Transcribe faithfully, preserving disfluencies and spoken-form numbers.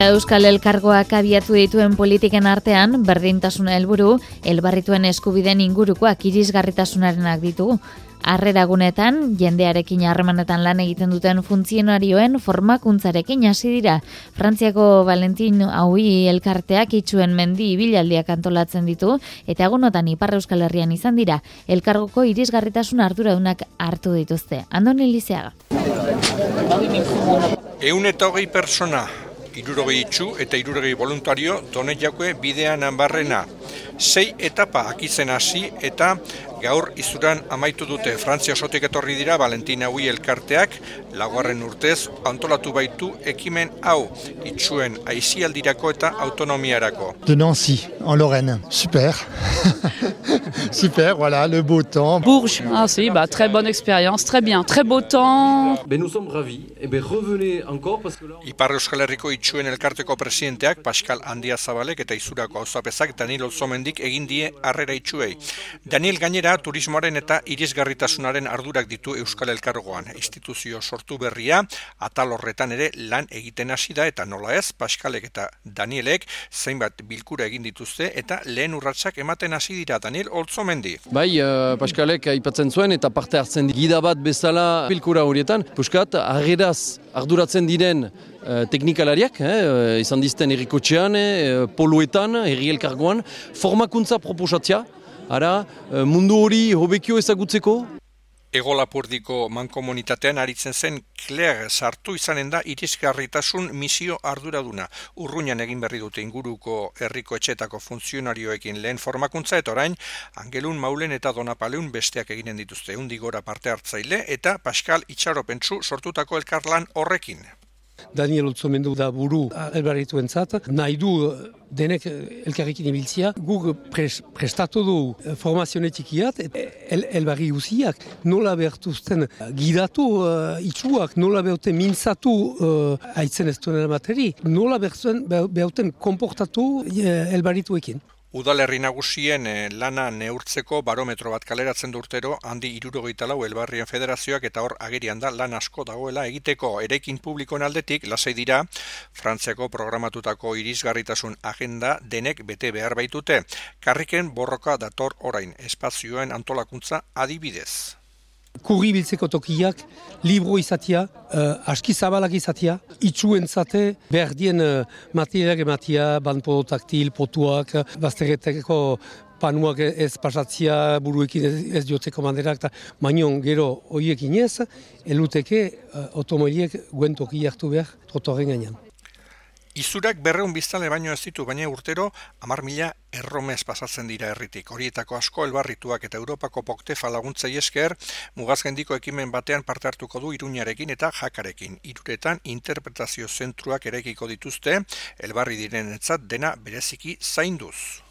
Euskal Elkargoak abiatu dituen politiken artean, berdintasuna helburu, elbarrituen eskubideen ingurukoak irisgarritasunarenak ditugu. Harreragunetan, jendearekin harremanetan lan egiten duten funtzionarioen formakuntzarekin hasi dira. Frantziako Valentin Aui elkarteak itxuen mendi ibilaldiak antolatzen ditu, eta egunotan Ipar Euskal Herrian izan dira, elkargoko irisgarritasun arduradunak hartu dituzte. Andoni Lizeaga. Ehun eta hogei persona, hirurogei itxu eta hirurogei voluntario Doneiakue bidean barrena. Sei etapa akitzen hasi eta gaur izuran amaitu dute. Frantzia osotik etorri dira Valentin Aui elkarteak, laugarren urtez antolatu baitu ekimen hau, itxuen aisialdirako eta autonomiarako. De Nancy, en Lorraine. Super. Super, voilà, le beau temps. Bourges, ah si, bah, très bonne expérience, très bien, très beau temps. Ben nous sommes ravis. Et ben revenez encore parce que là... Ipar Euskal Herriko itxuen elkarteko presidenteak Pascal Andiazabalek eta Izurako auzapezak Daniel Olzomendik egin die harrera itxuei. Daniel gainera turismoaren eta irisgarritasunaren ardurak ditu Euskal Elkargoan. Instituzio sortu berria, atal horretan ere lan egiten hasi da eta nola ez, Pascalek eta Danielek zeinbat bilkura egin dituzte eta lehen urratsak ematen hasi dira. Daniel Olzomendi. Bai, uh, Pascalek aipatzen zuen eta parte hartzen gida bat bezala bilkura horietan. Puskat, harreraz arduratzen diren uh, teknikalariak, eh, izan dizten errikotxean, eh, poluetan, herri elkargoan, formakuntza proposatzea, ara, uh, mundu hori hobekio ezagutzeko. Ego Lapurdiko mankomunitatean aritzen zen Claire sartu izanen da irisgarritasun misio arduraduna. Urruñan egin berri dute inguruko herriko etxetako funtzionarioekin lehen formakuntza eta orain Angelun Maulen eta Donapaleun besteak eginen dituzte. Undigora parte hartzaile eta Pascal Itxaropentsu sortutako elkarlan horrekin. Daniel Olzomendu da buru elbarrituentzat, nahi du denek elkarrekin ibiltzia. Guk pres, prestatu du formazionetik el, elbarri usiak, nola behartuzten gidatu uh, itxuak, nola behauten mintzatu uh, aitzen ez duen materi, nola behauten komportatu uh, elbarrituekin. Udalerri nagusien lana neurtzeko barometro bat kaleratzen du urtero handi hirurogeita lau elbarrien federazioak eta hor agerian da lan asko dagoela egiteko. Eraikin publikoen aldetik lasai dira Frantziako programatutako irisgarritasun agenda denek bete behar baitute. Karriken borroka dator orain, espazioen antolakuntza adibidez. Kurri biltzeko tokiak, libro izatia, uh, aski zabalak izatia, itxuentzate behar dien uh, materiak ematia, banpo taktil, potuak, bazterreteko panuak ez pasatzia, buruekin ez, ez diotzeko manderak, eta manion gero horiekin ez, eluteke uh, otomoiliek guen toki hartu behar trotorren gainean. Izurak berreun biztale baino ez ditu, baina urtero hamar mila erromez pasatzen dira herritik. Horietako asko elbarrituak eta Europako Poktefa laguntzei esker, mugazgendiko ekimen batean parte hartuko du Iruñarekin eta Jakarekin. Hiruretan interpretazio zentruak eraikiko dituzte, elbarri direnetzat dena bereziki zainduz.